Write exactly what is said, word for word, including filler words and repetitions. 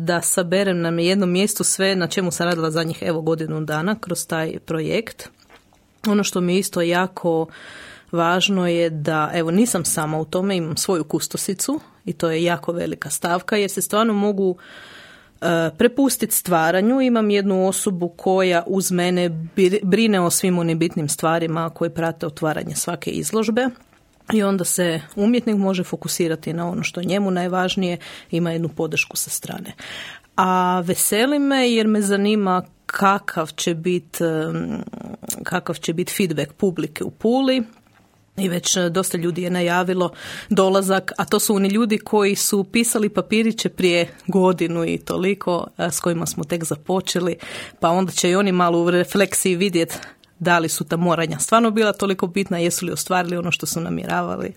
da saberem na jednom mjestu sve na čemu sam radila zadnjih evo godinu dana kroz taj projekt. Ono što mi isto jako važno je da, evo, nisam sama u tome, imam svoju kustosicu i to je jako velika stavka jer se stvarno mogu uh, prepustiti stvaranju. Imam jednu osobu koja uz mene brine o svim onim bitnim stvarima koje prate otvaranje svake izložbe. I onda se umjetnik može fokusirati na ono što je njemu najvažnije, ima jednu podršku sa strane. A veseli me jer me zanima kakav će biti kakav će biti feedback publike u Puli. I već dosta ljudi je najavilo dolazak, a to su oni ljudi koji su pisali papiriće prije godinu i toliko, s kojima smo tek započeli, pa onda će i oni malo u refleksiji vidjeti da li su ta moranja stvarno bila toliko bitna, jesu li ostvarili ono što su namjeravali.